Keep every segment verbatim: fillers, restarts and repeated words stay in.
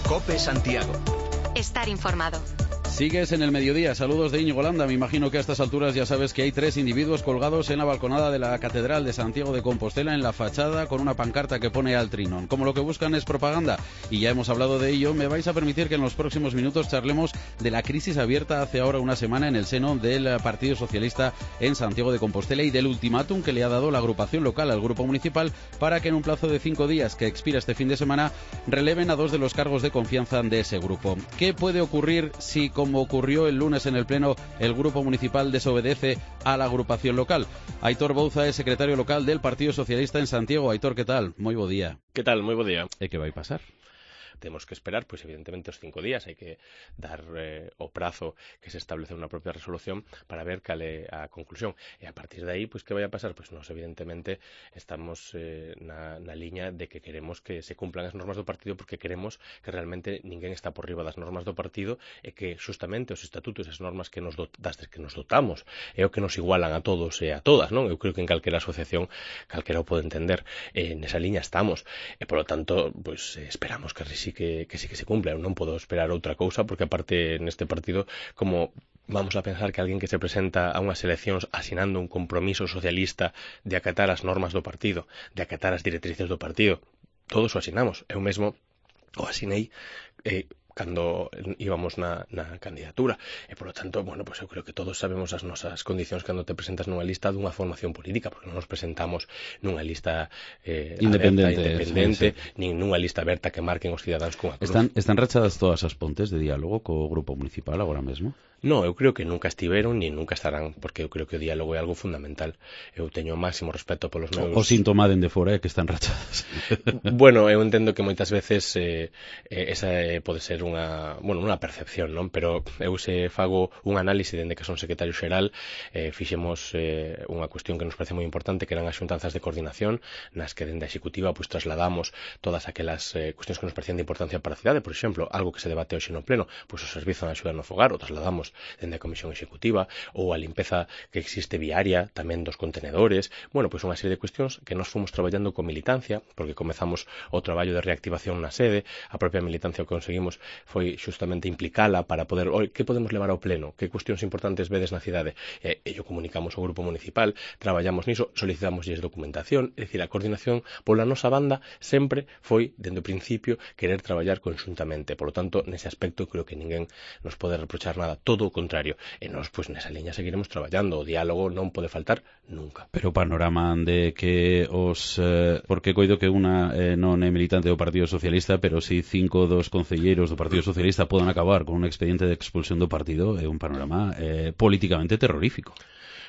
COPE Santiago. Estar informado. Sigues en el mediodía. Saludos de Íñigo Landa. Me imagino que a estas alturas ya sabes que hay tres individuos colgados en la balconada de la Catedral de Santiago de Compostela, en la fachada, con una pancarta que pone al Trinón. Como lo que buscan es propaganda, y ya hemos hablado de ello, me vais a permitir que en los próximos minutos charlemos de la crisis abierta hace ahora una semana en el seno del Partido Socialista en Santiago de Compostela y del ultimátum que le ha dado la agrupación local al grupo municipal para que en un plazo de cinco días que expira este fin de semana releven a dos de los cargos de confianza de ese grupo. ¿Qué puede ocurrir si, como ocurrió el lunes en el Pleno, el Grupo Municipal desobedece a la agrupación local? Aitor Bouza es secretario local del Partido Socialista en Santiago. Aitor, ¿qué tal? Moi bo día. ¿Qué tal? Moi bo día. E que vai pasar? Tenemos que esperar, pues evidentemente, os cinco días. Hay que dar eh, o prazo que se establece en una propia resolución para ver cal é a conclusión. E a partir de aí, pues, que vai a pasar? Pues nos, evidentemente, estamos eh, na, na liña de que queremos que se cumplan as normas do partido, porque queremos que realmente ninguén está por riba das normas do partido e que, justamente, os estatutos e as normas que nos, dot, das que nos dotamos é o que nos igualan a todos e a todas, non? Eu creo que en calquera asociación calquera o pode entender. Eh, nesa liña estamos. E, polo tanto, pues, eh, esperamos que sí Que, que sí que se cumpla. Eu non podo esperar outra cousa, porque aparte neste partido, como vamos a pensar que alguén que se presenta a unhas eleccións asinando un compromiso socialista de acatar as normas do partido, de acatar as directrices do partido, todos o asinamos. Eu mesmo o asinei eh, cando íbamos na, na candidatura. E, polo tanto, bueno, pues eu creo que todos sabemos as nosas condicións cando te presentas nunha lista dunha formación política, porque non nos presentamos nunha lista eh, independente, aberta, independente sí, sí. nin nunha lista aberta que marquen os cidadáns cunha cruz. Están, están rachadas todas as pontes de diálogo co Grupo Municipal agora mesmo? No, eu creo que nunca estiveron ni nunca estarán, porque eu creo que o diálogo é algo fundamental. Eu teño o máximo respeto polos meus... O síntoma dende fora é que están rachadas. Bueno, eu entendo que moitas veces eh, esa eh, pode ser unha, bueno, unha percepción, non? Pero eu se fago un análise dende que son secretario xeral, eh, fixemos eh, unha cuestión que nos parece moi importante, que eran as xuntanzas de coordinación, nas que dende a executiva pues, trasladamos todas aquelas eh, cuestións que nos parecían de importancia para a cidade. Por exemplo, algo que se debate hoxe no pleno, pois pues, o servizo de axuda no fogar, o trasladamos dende a Comisión Executiva, ou a limpeza que existe viaria, tamén dos contenedores. Bueno, pois unha serie de cuestións que nos fomos traballando con militancia, porque comezamos o traballo de reactivación na sede, a propia militancia o que conseguimos foi justamente implicala para poder, oi, que podemos levar ao pleno, que cuestións importantes vedes na cidade, e, e yo comunicamos ao grupo municipal, traballamos niso, solicitamos documentación, é dicir, a coordinación pola nosa banda sempre foi, dende o principio, querer traballar conxuntamente. Por lo tanto, nese aspecto, creo que ninguén nos pode reprochar nada, todo o contrario, e nós, pois, nesa liña seguiremos traballando, o diálogo non pode faltar nunca. Pero o panorama de que os... Eh, porque coido que unha eh, non é militante do Partido Socialista, pero si cinco dos concelleiros do Partido Socialista podan acabar con un expediente de expulsión do partido, é un panorama eh, políticamente terrorífico.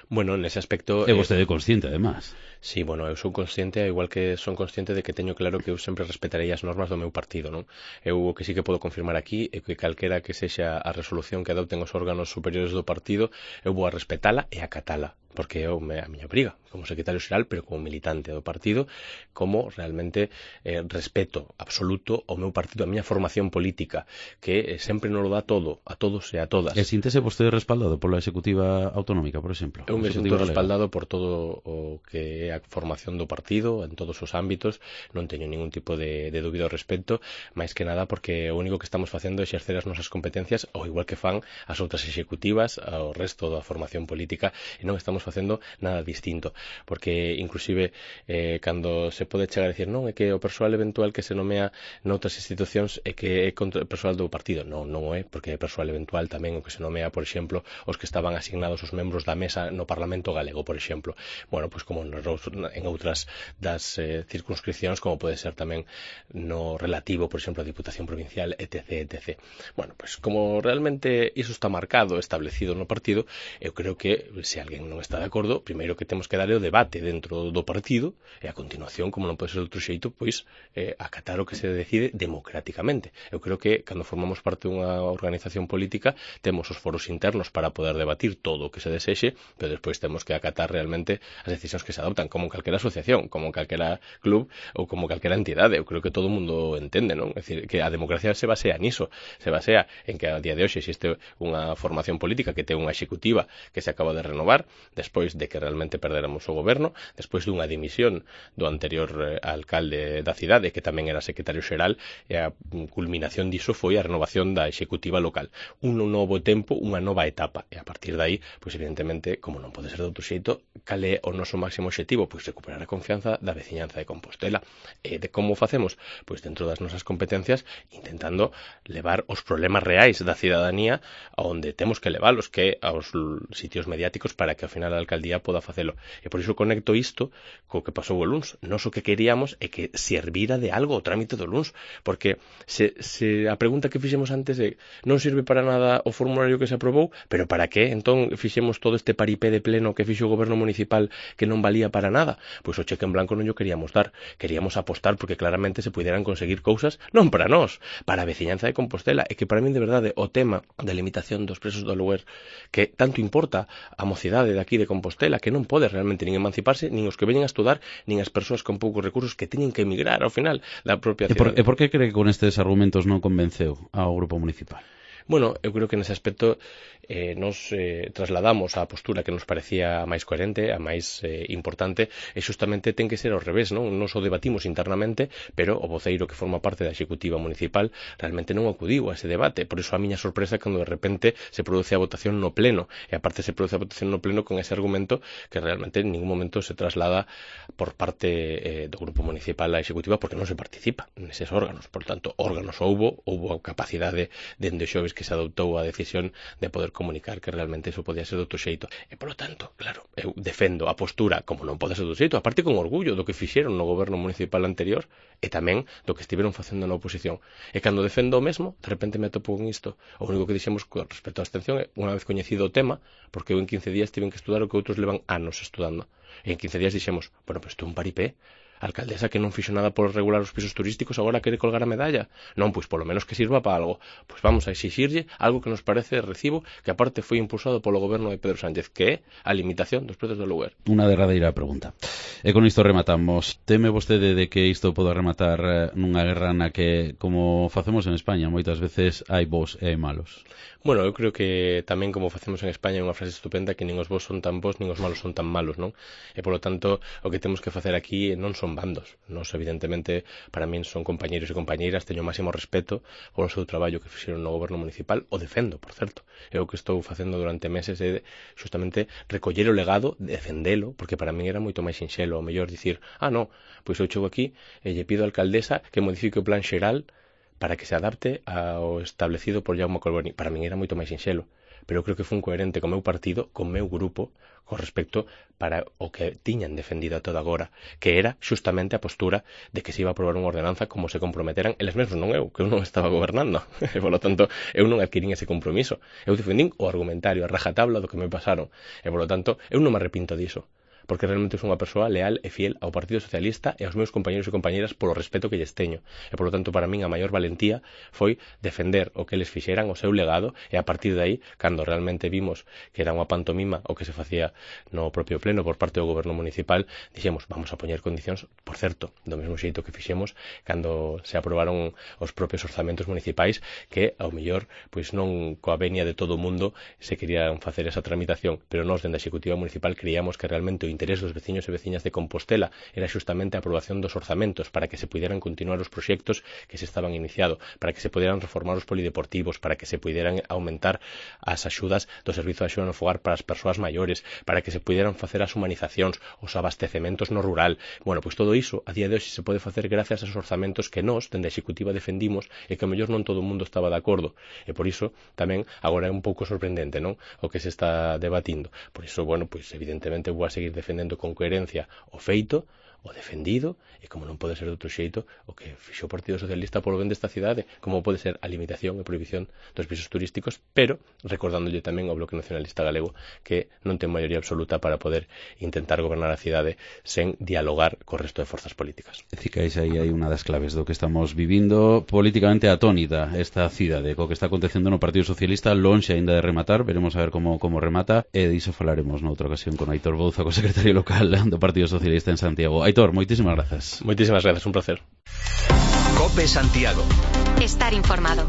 Bueno, nese aspecto... É vostede consciente, además. Sí, bueno, eu sou consciente, igual que son consciente de que teño claro que eu sempre respetarei as normas do meu partido, non? Eu o que sí que podo confirmar aquí é que calquera que sexa a resolución que adopten os órganos superiores do partido, eu vou a respetala e acatala, porque é a miña obriga, como secretario xeral, pero como militante do partido, como realmente eh, respeto absoluto ao meu partido, a miña formación política, que eh, sempre nos lo dá todo, a todos e a todas. E síntese vostede respaldado pola Executiva Autonómica, por exemplo? Eu me sinto respaldado por todo o que é a formación do partido en todos os ámbitos, non teño ningún tipo de, de dúbida ao respecto, máis que nada porque o único que estamos facendo é exercer as nosas competencias ao igual que fan as outras executivas, ao resto da formación política, e non estamos facendo nada distinto, porque inclusive eh, cando se pode chegar a decir non, é que o persoal eventual que se nomea noutras institucións é que é contra o persoal do partido, non, non o é, porque é persoal eventual tamén o que se nomea, por exemplo, os que estaban asignados os membros da mesa no Parlamento Galego, por exemplo. Bueno, pois como en outras das eh, circunscripcións, como pode ser tamén no relativo, por exemplo, a Diputación Provincial, etc, etcétera. Bueno, pois como realmente iso está marcado, establecido no partido, eu creo que se alguén non está de acordo, primeiro que temos que dar o debate dentro do partido, e a continuación, como non pode ser de outro xeito, pois eh, acatar o que se decide democráticamente. Eu creo que cando formamos parte dunha organización política, temos os foros internos para poder debatir todo o que se desexe, pero despois temos que acatar realmente as decisións que se adoptan. como en calquera asociación, como en calquera club ou como calquera entidade. Eu creo que todo o mundo entende, non? É dicir, que a democracia se basea niso, se basea en que a día de hoxe existe unha formación política que ten unha executiva que se acaba de renovar despois de que realmente perderamos o goberno, despois dunha dimisión do anterior eh, alcalde da cidade, que tamén era secretario xeral, e a culminación diso foi a renovación da executiva local. Un novo tempo, unha nova etapa, e a partir de aí, pois evidentemente, como non pode ser de outro xeito, cal é o noso máximo obxectivo? Pois recuperar a confianza da veciñanza de Compostela. E de como facemos? Pois dentro das nosas competencias, intentando levar os problemas reais da cidadanía a onde temos que leválos, que aos sitios mediáticos, para que ao final a alcaldía poda facelo. E por iso conecto isto co que pasou o luns. Nos o que queríamos é que servira de algo o trámite do luns, porque se, se a pregunta que fixemos antes é non sirve para nada o formulario que se aprobou, pero para que entón fixemos todo este paripé de pleno que fixo o goberno municipal que non valía para nada? Pois o cheque en blanco non o queríamos dar, queríamos apostar porque claramente se pudieran conseguir cousas non para nós, para a veciñanza de Compostela, e que para min de verdade o tema da limitación dos presos do aluguer que tanto importa a mocidade de aquí de Compostela, que non pode realmente nin emanciparse, nin os que veñen a estudar, nin as persoas con poucos recursos que teñen que emigrar ao final da propia cidade. E por, e por que cree que con estes argumentos non convenceu ao grupo municipal? Bueno, eu creo que nese aspecto eh, nos eh, trasladamos á postura que nos parecía a máis coherente, a máis eh, importante, e xustamente ten que ser ao revés, non? Nos o debatimos internamente, pero o voceiro que forma parte da executiva municipal realmente non acudiu a ese debate. Por iso a miña sorpresa cando de repente se produce a votación no pleno, e aparte se produce a votación no pleno con ese argumento que realmente en ningún momento se traslada por parte eh, do grupo municipal á executiva, porque non se participa neses órganos. Por tanto, órganos houbo, houbo a capacidade dende xoves que se adoptou a decisión de poder comunicar que realmente eso podía ser de outro xeito. E, polo tanto, claro, eu defendo a postura como non pode ser de outro xeito, aparte con orgullo do que fixeron no goberno municipal anterior e tamén do que estiveron facendo na oposición. E cando defendo o mesmo, de repente me atopo con isto. O único que dixemos con respecto á abstención é, unha vez coñecido o tema, porque eu en quince días tiven que estudar o que outros levan anos estudando. E en quince días dixemos, bueno, pues isto é un paripé. A alcaldesa que non fixo nada por regular os pisos turísticos agora quere colgar a medalla. Non, pois polo menos que sirva para algo. Pois vamos a exixirlle algo que nos parece de recibo, que aparte foi impulsado polo goberno de Pedro Sánchez, que é a limitación dos prezos do aluguer. Unha derradeira pregunta. E con isto rematamos. Teme vostede de que isto poda rematar nunha guerra na que, como facemos en España, moitas veces hai bos e hai malos? Bueno, eu creo que tamén como facemos en España é unha frase estupenda que nin os bos son tan bos nin os malos son tan malos, non? E polo tanto, o que temos que facer aquí non son bandos. Nos, evidentemente, para min son compañeiros e compañeiras, teño o máximo respeto polo seu traballo que fixeron no goberno municipal, o defendo, por certo. É o que estou facendo durante meses é justamente recoller o legado, defendelo, porque para min era moito máis sinxelo, o mellor dicir, ah, no, pois eu chego aquí e lle pido á alcaldesa que modifique o plan xeral para que se adapte ao establecido por Jaume Colboni. Para min era moito máis sinxelo, pero eu creo que fun coherente co meu partido, co meu grupo, con respecto para o que tiñan defendido a toda agora, que era xustamente a postura de que se iba a aprobar unha ordenanza como se comprometeran eles mesmos, non eu, que eu non estaba gobernando. E, polo tanto, eu non adquirín ese compromiso. Eu defendín o argumentario, a rajatabla do que me pasaron. E, polo tanto, eu non me arrepinto diso, porque realmente sou unha persoa leal e fiel ao Partido Socialista e aos meus compañeros e compañeras polo respeto que lles teño. E, polo tanto, para min a maior valentía foi defender o que eles fixeran, o seu legado, e a partir de aí, cando realmente vimos que era unha pantomima o que se facía no propio pleno por parte do goberno municipal, dixemos, vamos a poñer condicións, por certo, do mesmo xeito que fixemos cando se aprobaron os propios orzamentos municipais, que, ao mellor, pois non coa venia de todo o mundo se querían facer esa tramitación, pero nós, dende a Executiva Municipal, creíamos que realmente o interés dos veciños e veciñas de Compostela era xustamente a aprobación dos orzamentos para que se pudieran continuar os proxectos que se estaban iniciado, para que se pudieran reformar os polideportivos, para que se pudieran aumentar as axudas do servizo de axuda no fogar para as persoas maiores, para que se pudieran facer as humanizacións, os abastecementos no rural. Bueno, pois todo iso a día de hoxe se pode facer gracias aos orzamentos que nós, dende a Executiva, defendimos e que a mellor non todo o mundo estaba de acordo. E por iso tamén agora é un pouco sorprendente, non? O que se está debatindo. Por iso, bueno, pois evidentemente vou a seguir defendendo con coherencia o feito, o defendido, e como non pode ser de outro xeito, o que fixo o Partido Socialista polo ben desta cidade, como pode ser a limitación e prohibición dos pisos turísticos, pero recordándolle tamén ao Bloque Nacionalista Galego que non ten maioría absoluta para poder intentar gobernar a cidade sen dialogar co resto de forzas políticas. Cicais, aí hai unha das claves do que estamos vivindo políticamente atónita esta cidade, co que está acontecendo no Partido Socialista, lonxe aínda de rematar, veremos a ver como, como remata, e diso falaremos noutra ocasión con Aitor Bouza, co secretario secretario local do Partido Socialista en Santiago. Aitor, moitísimas grazas. Moitísimas grazas, un placer. COPE Santiago. Estar informado.